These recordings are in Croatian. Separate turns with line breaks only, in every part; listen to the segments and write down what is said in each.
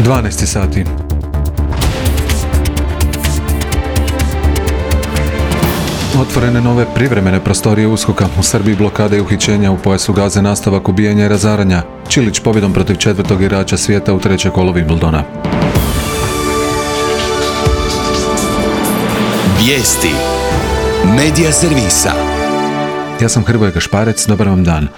12 sati. Otvorene nove privremene prostorije USKOK-a. U Srbiji blokade i uhićenja, u pojasu Gaze nastavak ubijanja i razaranja. Čilić pobjedom protiv 4. igrača svijeta u 3. kolo Wimbledona.
Vijesti Medija servisa.
Ja sam Hrvoje Gašparec, dobar vam dan.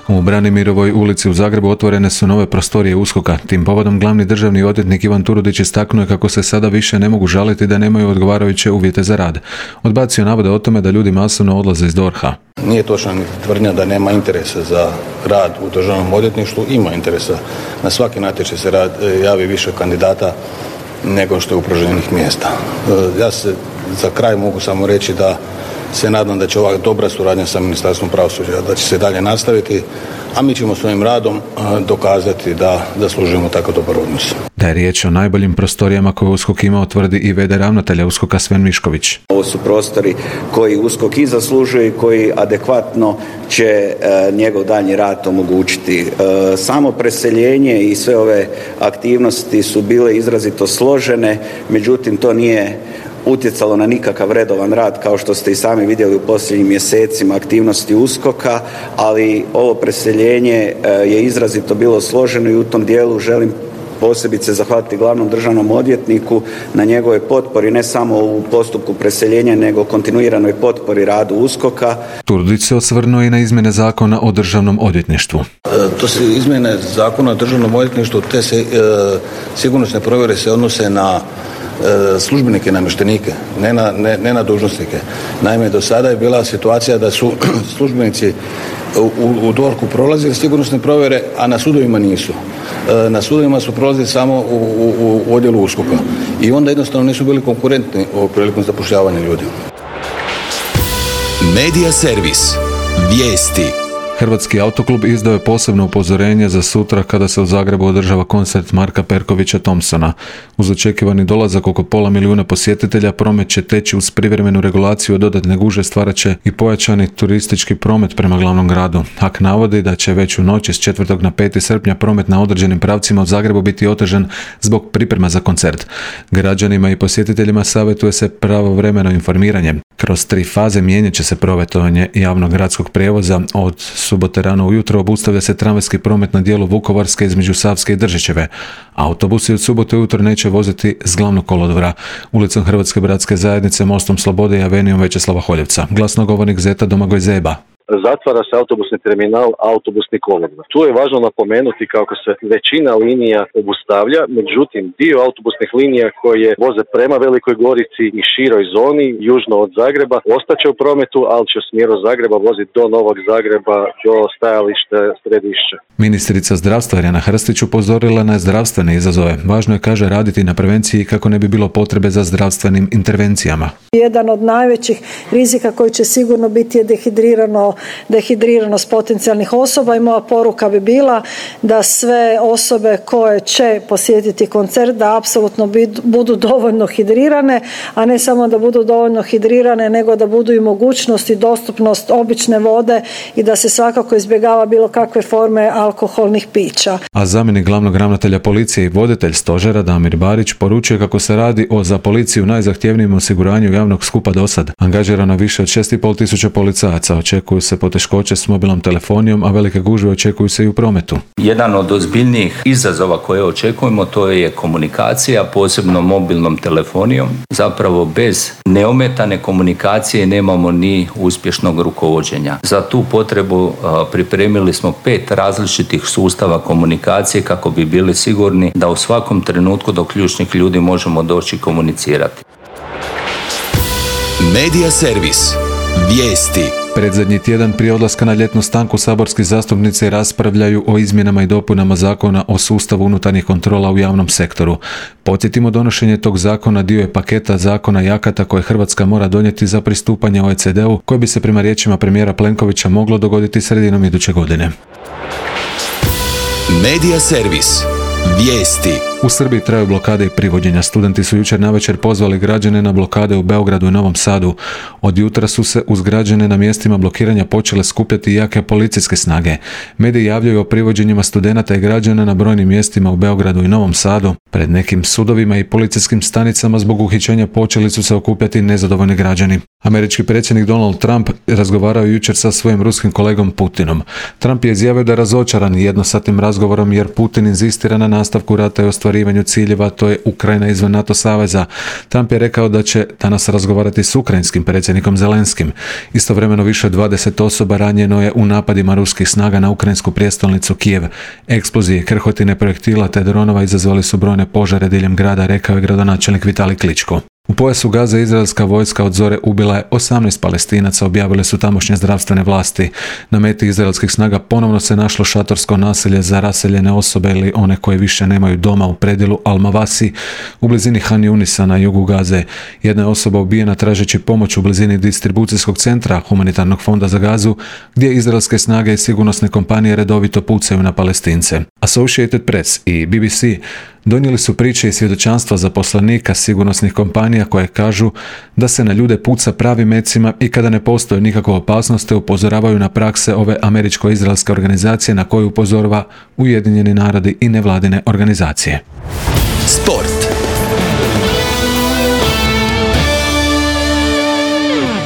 U Branimirovoj ulici u Zagrebu otvorene su nove prostorije USKOK-a. Tim povodom glavni državni odvjetnik Ivan Turudić istaknuo je kako se sada više ne mogu žaliti da nemaju odgovarajuće uvjete za rad. Odbacio navode o tome da ljudi masovno odlaze iz DORH-a.
Nije točna ni tvrdnja da nema interesa za rad u državnom odvjetništvu. Ima interesa. Na svaki natječaj se javi više kandidata nego što je upražnjenih mjesta. Ja se za kraj mogu samo reći da se nadam da će ova dobra suradnja sa Ministarstvom pravosuđa, da će se dalje nastaviti, a mi ćemo svojim radom dokazati da zaslužujemo tako dobar odnos.
Da je riječ o najboljim prostorijama koje USKOK ima, tvrdi i v.d. ravnatelja USKOK-a Sven Mišković.
Ovo su prostori koji USKOK i zaslužuje i koji adekvatno će njegov daljnji rad omogućiti. Samo preseljenje i sve ove aktivnosti su bile izrazito složene, međutim to nije utjecalo na nikakav redovan rad, kao što ste i sami vidjeli u posljednjim mjesecima aktivnosti USKOK-a, ali ovo preseljenje je izrazito bilo složeno i u tom dijelu želim posebice zahvaliti glavnom državnom odvjetniku na njegove potpori, ne samo u postupku preseljenja, nego kontinuiranoj potpori radu USKOK-a.
Turudić se osvrnuo i na izmjene zakona o državnom odvjetništvu.
To se izmjene zakona o državnom odvjetništvu, te se sigurnosne provjere se odnose na službenike i namještenike, ne na dužnosnike. Naime, do sada je bila situacija da su službenici u DORH-u prolazili sigurnosne provjere, a na sudovima nisu. Na sudovima su prolazili samo u odjelu USKOK-a i onda jednostavno nisu bili konkurentni prilikom zapošljavanja ljudi.
Medija servis. Vijesti.
Hrvatski autoklub izdao je posebno upozorenje za sutra kada se u Zagrebu održava koncert Marka Perkovića Thompsona. Uz očekivani dolazak oko 500.000 posjetitelja, promet će teći uz privremenu regulaciju, dodatne gužve stvarat će i pojačani turistički promet prema glavnom gradu. HAK navodi da će već u noći s 4. na 5. srpnja promet na određenim pravcima u Zagrebu biti otežan zbog priprema za koncert. Građanima i posjetiteljima savjetuje se pravovremeno informiranje. Kroz 3 faze mijenjat će se prometovanje javnog gradskog prijevoza. Od subote rano ujutro obustavlja se tramvajski promet na dijelu Vukovarske između Savske i Držićeve. Autobusi od subote ujutro neće voziti s glavnog kolodvora, ulicom Hrvatske bratske zajednice, Mostom Slobode i Avenijom Večeslava Holjevca. Glasnogovornik Zeta Domagoj Zeba.
Zatvara se autobusni terminal, autobusni kolodvor. Tu je važno napomenuti kako se većina linija obustavlja, međutim dio autobusnih linija koje voze prema Velikoj Gorici i široj zoni, južno od Zagreba, ostaće u prometu, ali će u smjeru Zagreba voziti do Novog Zagreba, do stajališta Središća.
Ministrica zdravstva Irena Hrstić upozorila na zdravstvene izazove. Važno je, kaže, raditi na prevenciji kako ne bi bilo potrebe za zdravstvenim intervencijama.
Jedan od najvećih rizika koji će sigurno biti je dehidriranost potencijalnih osoba i moja poruka bi bila da sve osobe koje će posjetiti koncert da apsolutno budu dovoljno hidrirane, a ne samo da budu dovoljno hidrirane, nego da budu i mogućnost i dostupnost obične vode i da se svakako izbjegava bilo kakve forme alkoholnih pića.
A zamjenik glavnog ravnatelja policije i voditelj stožera Damir Barić poručuje kako se radi o za policiju najzahtjevnijem osiguranju javnog skupa dosad. Angažirano više od 6.500 policajaca, očekuju se poteškoće s mobilnom telefonijom, a velike gužve očekuju se i u prometu.
Jedan od ozbiljnijih izazova koje očekujemo to je komunikacija, posebno mobilnom telefonijom. Zapravo bez neometane komunikacije nemamo ni uspješnog rukovođenja. Za tu potrebu pripremili smo 5 različitih sustava komunikacije kako bi bili sigurni da u svakom trenutku do ključnih ljudi možemo doći komunicirati.
Medija servis. Vijesti.
Predzadnji tjedan prije odlaska na ljetnu stanku saborski zastupnici raspravljaju o izmjenama i dopunama zakona o sustavu unutarnjih kontrola u javnom sektoru. Podsjetimo, donošenje tog zakona dio je paketa zakona i akata koje Hrvatska mora donijeti za pristupanje OECD-u, koje bi se prema riječima premijera Plenkovića moglo dogoditi sredinom iduće godine.
Medija servis. Vijesti.
U Srbiji traju blokade i privođenja. Studenti su jučer navečer pozvali građane na blokade u Beogradu i Novom Sadu. Od jutra su se uz građane na mjestima blokiranja počele skupljati jake policijske snage. Mediji javljaju o privođenjima studenata i građana na brojnim mjestima u Beogradu i Novom Sadu. Pred nekim sudovima i policijskim stanicama zbog uhićenja počeli su se okupljati nezadovoljni građani. Američki predsjednik Donald Trump razgovarao jučer sa svojim ruskim kolegom Putinom. Trump je izjavio da je razočaran jednosatnim razgovorom jer Putin inzistira na nastavku rata i ostvarivanju ciljeva, to je Ukrajina izvan NATO saveza. Trump je rekao da će danas razgovarati s ukrajinskim predsjednikom Zelenskim. Istovremeno više od 20 osoba ranjeno je u napadima ruskih snaga na ukrajinsku prijestolnicu Kijev. Eksplozije, krhotine projektila te dronova izazvali su brojne požare diljem grada, rekao je gradonačelnik Vitalij Kličko. U pojasu Gaze izraelska vojska od zore ubila je 18 Palestinaca, objavile su tamošnje zdravstvene vlasti. Na meti izraelskih snaga ponovno se našlo šatorsko naselje za raseljene osobe ili one koje više nemaju doma u predjelu Al-Mawasi u blizini Han Yunisa na jugu Gaze. Jedna je osoba ubijena tražeći pomoć u blizini distribucijskog centra Humanitarnog fonda za Gazu, gdje izraelske snage i sigurnosne kompanije redovito pucaju na Palestince. Associated Press i BBC donijeli su priče i svjedočanstva zaposlenika sigurnosnih kompanija koje kažu da se na ljude puca pravim mecima i kada ne postoji nikakva opasnost, te upozoravaju na prakse ove američko-izraelske organizacije na koju upozorava Ujedinjeni narodi i nevladine organizacije.
Sport.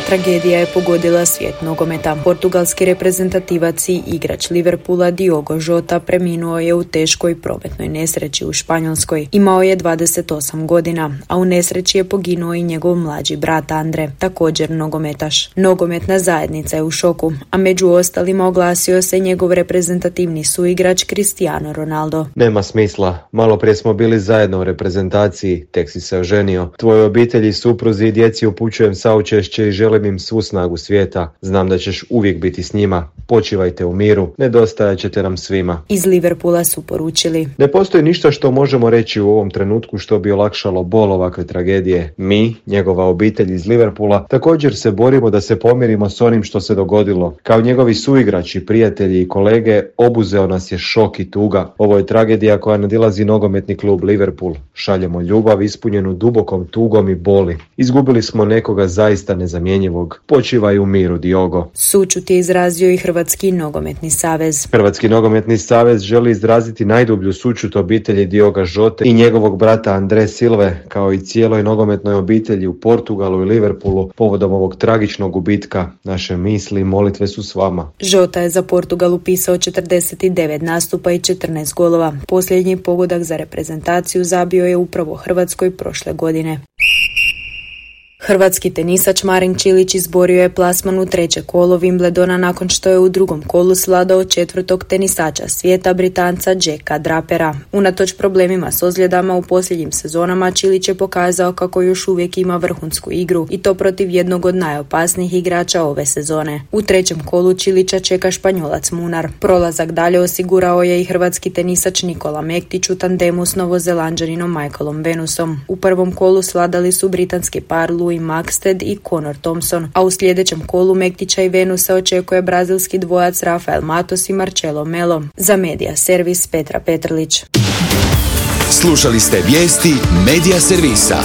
Tragedija je pogodila svijet nogometa. Portugalski reprezentativac i igrač Liverpoola Diogo Jota preminuo je u teškoj prometnoj nesreći u Španjolskoj. Imao je 28 godina, a u nesreći je poginuo i njegov mlađi brat Andre, također nogometaš. Nogometna zajednica je u šoku, a među ostalima oglasio se njegov reprezentativni suigrač Cristiano Ronaldo.
Nema smisla, malo prije smo bili zajedno u reprezentaciji, tek si se oženio. Tvojoj obitelji, supruzi i djeci upućujem saučešće i želim im svu snagu svijeta. Znam da ćeš uvijek biti s njima. Počivajte u miru, nedostajat ćete nam svima.
Iz Liverpoola su poručili:
ne postoji ništa što možemo reći u ovom trenutku što bi olakšalo bol ovakve tragedije. Mi, njegova obitelj iz Liverpoola, također se borimo da se pomirimo s onim što se dogodilo. Kao njegovi suigrači, prijatelji i kolege, obuzeo nas je šok i tuga. Ovo je tragedija koja nadilazi nogometni klub Liverpool. Šaljemo ljubav ispunjenu dubokom tugom i boli. Izgubili smo nekoga zaista nezamjenjivog. Počivaj u miru, Diogo.
Sućut je izrazio i Hrvatski nogometni savez.
Hrvatski nogometni savez želi izraziti najdublju sućut obitelji Dioga Žote i njegovog brata Andre Silve, kao i cijeloj nogometnoj obitelji u Portugalu i Liverpoolu povodom ovog tragičnog gubitka. Naše misli i molitve su s vama.
Žota je za Portugal upisao 49 nastupa i 14 golova. Posljednji pogodak za reprezentaciju zabio je upravo Hrvatskoj prošle godine. Hrvatski tenisač Marin Čilić izborio je plasman u treće kolo Wimbledona nakon što je u drugom kolu svladao četvrtog tenisača svijeta, Britanca Jacka Drapera. Unatoč problemima s ozljedama u posljednjim sezonama, Čilić je pokazao kako još uvijek ima vrhunsku igru i to protiv jednog od najopasnijih igrača ove sezone. U trećem kolu Čilića čeka Španjolac Munar. Prolazak dalje osigurao je i hrvatski tenisač Nikola Mektić u tandemu s Novozelanđaninom Michaelom Venusom. U prvom kolu svladali su britanski par Louis Maxted i Conor Thompson, a u sljedećem kolu Mektića i Venusa očekuje brazilski dvojac Rafael Matos i Marcelo Melo. Za Medija servis Petra Petrlić.
Slušali ste vijesti Medija servisa.